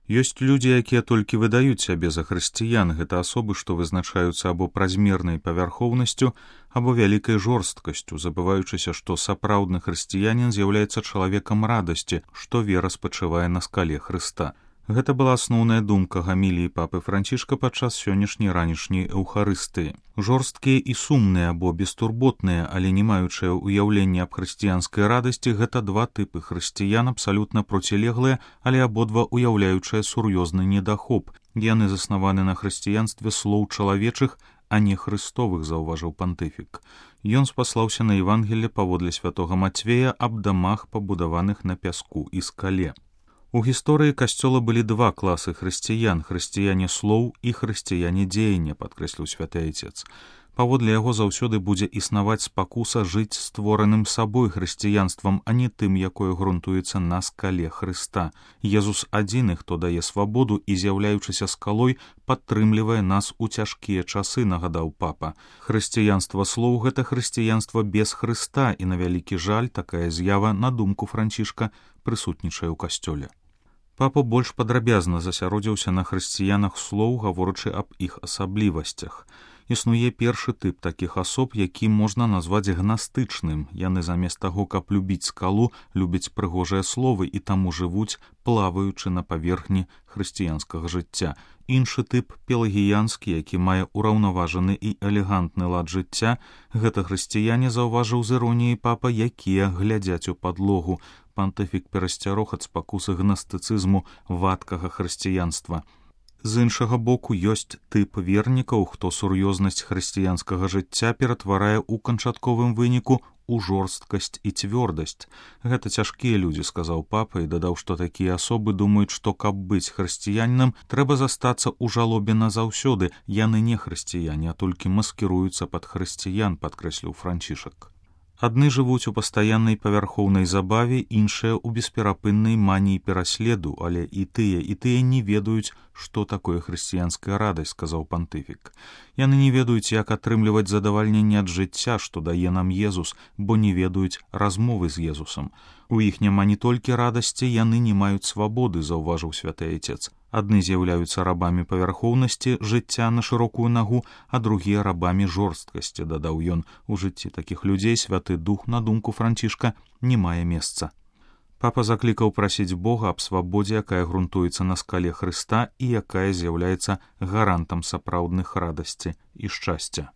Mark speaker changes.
Speaker 1: Ёсць людзі, якія толькі выдаюць сябе за хрысціян. Гэта асобы, што вызначаюцца або празмернай павярхоўнасцю, або вялікай жорсткасцю, забываючыся, што сапраўдны хрысціянін з'яўляецца чалавекам радасці, што вера спачывае на скале Хрыста. Гэта была асноўная думка гаміліі папы Францішка падчас сённяшняй ранішняй эўхарыстыі. Жорсткія і сумныя або бестурботныя, але не маючыя ўяўлення аб хрысціянскай радасці, гэта два тыпы хрысціян, абсалютна процілеглыя, але абодва ўяўляючыя сур'ёзны недахоп. Яны заснаваны на хрысціянстве слоў чалавечых, а не хрыстовых, заўважыў пантыфік. Ён спаслаўся на Евангелле паводле святога Мацвея аб дамах, пабудаваных на пяску і скале. У гісторыі касцёла былі два класы хрысціян, хрысціяне слоў і хрысціяне дзеяння, падкрэсліў святы айцец. Паводле яго заўсёды будзе існаваць спакуса жыць створаным сабой хрысціянствам, а не тым, якое грунтуецца на скале Хрыста. Езус адзіны, хто дае свабоду і, з'яўляючыся скалой, падтрымлівае нас у цяжкія часы, нагадаў папа. Хрысціянства слоў — гэта хрысціянства без Хрыста, і на вялікі жаль такая з'ява, на думку Францішка, прысутнічае ў касцёле. Папа больш падрабязна засяродзіўся на хрысціянах слоў, гаворачы аб іх асаблівасцях. Існуе першы тып такіх асоб, які можна назваць гнастычным. Яны замест таго, каб любіць скалу, любяць прыгожыя словы і таму жывуць, плаваючы на паверхні хрысціянскага жыцця. Іншы тып пелагіянскі, які мае ўраўнаважаны і элегантны лад жыцця. Гэта хрысціяне, заўважыў з іроніяй папа, якія глядзяць у падлогу. Пантыфік перасцярог ад спакусы гнастыцызму вадкага хрысціянства. З іншага боку, ёсць тып вернікаў, хто сур'ёзнасць хрысціянскага жыцця ператварае ў канчатковым выніку у жорсткасць і цвёрдасць. Гэта цяжкія людзі, сказаў папа, і дадаў, што такія асобы думаюць, што каб быць хрысціянінам, трэба застацца ў жалобе назаўсёды. Яны не хрысціяне, а толькі маскіруюцца пад хрысціян, падкрэсліў Францішак. Адны жывуць у пастаяннай павярхоўнай забаве, іншыя ў бесперапыннай маніі пераследу, але і тыя не ведаюць, што такое хрысціянская радасць, сказаў пантыфік. Яны не ведаюць, як атрымліваць задавальненне ад жыцця, што дае нам Езус, бо не ведаюць размовы з Езусам. У іх няма не толькі радасці, яны не маюць свабоды, заўважыў святы айцец. Адны з'яўляюцца рабамі павярхоўнасці жыцця на шырокую нагу, а другія рабамі жорсткасці, дадаў ён. У жыцці такіх людзей святы дух, на думку Францішка, не мае месца. Папа заклікаў прасіць Бога аб свабодзе, якая грунтуецца на скале Хрыста і якая з'яўляецца гарантам сапраўдных радасці і шчасця.